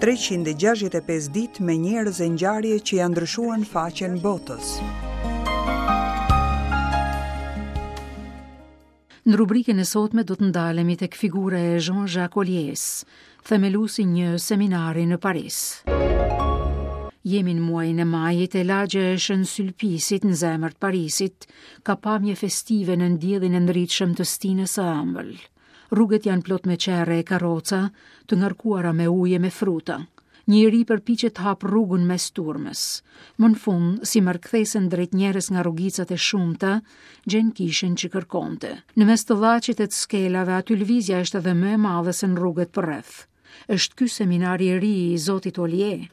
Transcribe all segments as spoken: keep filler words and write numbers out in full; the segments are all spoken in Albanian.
treqind e gjashtëdhjetë e pesë ditë me njerëz e ngjarje që janë ndryshuar në faqen botës. Në rubrikën e sotme do të ndalemi tek figura e Jean-Jacques Olliers, themeluesi një seminari në Paris. Jemi në muajin e majit e lagja e Shën Sylpisit në zemër të Parisit ka pamje festive në ndjellin e ndritshëm të stinës së ëmbël. Rrugët janë plot me qerre e karroca, të ngarkuara me ujë e me fruta. Një i ri përpiqet të hap rrugën mes turmës. Më në fund, si merr kthesën drejt njerëz nga rrugicat e shumta, gjen kishën që kërkonte. Në mes të llaqit e të skelave, aty lëvizja është edhe më e madhe se në rrugët përreth. Është ky seminari i ri i Zotit Ollier,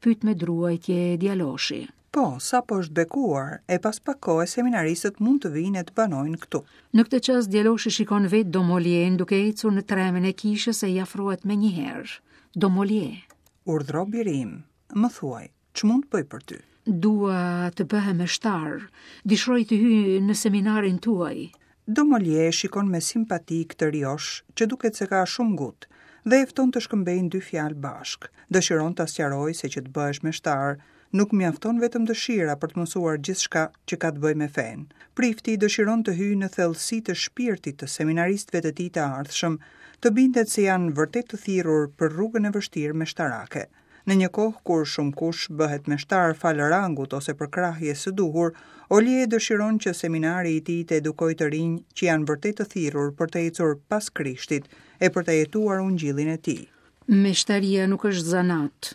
pyet me druajtje djaloshi. Po, sapo është bekuar, e pas pak kohe seminaristët mund të vinë e të banojnë këtu. Në këtë çast djaloshi shikon vetë Dom Ollierin duke ecur në tremen e kishës e i afrohet menjëherë. Dom Ollier. Urdhro biri im, më thuaj, ç'mund të bëj për ty? Dua të bëhem meshtar, dëshiroj të hyj në seminarin tuaj. Dom Ollier shikon me simpati këtë riosh që duket se ka shumë ngut dhe e fton të shkëmbejnë dy fjalë bashkë. Dëshiron ta sqarojë se që të bëhesh meshtar nuk mjafton vetëm dëshira për të mësuar gjithçka që ka të bëjë me fenë. Prifti dëshiron të hyjë në thellësi të shpirtit të seminaristëve të tij të ardhshëm, të bindet se janë vërtet të thirrur për rrugën e vështirë meshtarake. Në një kohë kur shumë kush bëhet meshtar fal rangut ose përkrahjes së duhur, Ollier dëshiron që seminari i tij të edukojë të rinj që janë vërtet të thirrur për të ecur pas Krishtit e për të jetuar ungjillin e tij. Meshtaria nuk është zanat,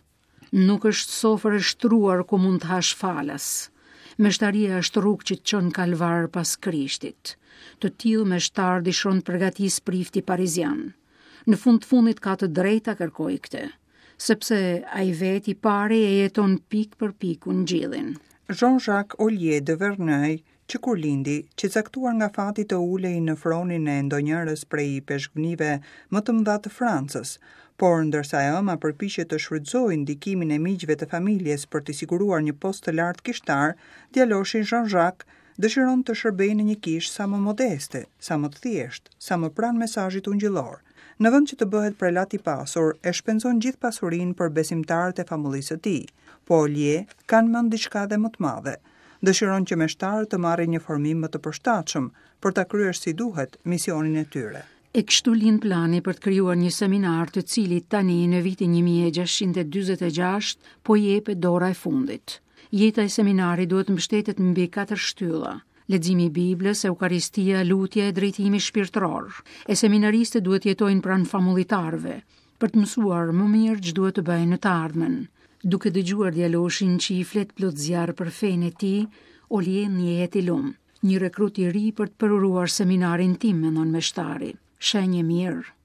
nuk është sofër e shtruar ku mund të hash falas. Meshtaria është rrugë që të çon kalvar pas Krishtit. Të tillë meshtar dëshiron të përgatis prifti parizian. Në fund të fundit ka të drejta kërkoj këtë, sepse ai vetë i pari e jeton pikë për pikë ungjillin. Jean-Jacques Ollier de Verneuil, që kur lindi, që caktuar nga fati të ulej në fronin e ndonjërës prej peshkvnive më të mëdha të Francës, por ndërsa e ëma përpiqet të shfrytëzojë ndikimin e miqve të familjes për të siguruar një post të lartë kishtar, djaloshi Jean-Jacques dëshiron të shërbejë në një kishë sa më modeste, sa më të thjeshtë, sa më pranë mesazhit ungjillor. Në vend që të bëhet prelat i pasur, e shpenzon gjithë pasurinë për besimtarët e famullisë së tij. Po Ollier ka në mend diçka edhe më të madhe. Dëshiron që meshtarët të marrin një formim më të përshtatshëm për ta kryer si duhet misionin e tyre. E kështu lind plani për të krijuar një seminar të cilit tani në vitin një mijë e gjashtëqind e dyzet e gjashtë po i jepet dora e fundit. Jeta e seminarit duhet mbështetet mbi katër shtylla: leximi i Biblës, Eukaristia, lutja e drejtimi shpirtëror. E seminaristët duhet jetojnë pranë famullitarëve për të mësuar më mirë ç'duhet të bëjnë në të ardhmen. Duke dëgjuar djaloshin që i flet plot zjarr për fenë e tij, Ollier ndjehet i lum. Një rekrut i ri për të përuruar seminarin tim, mendon meshtari. Shenjë e mirë.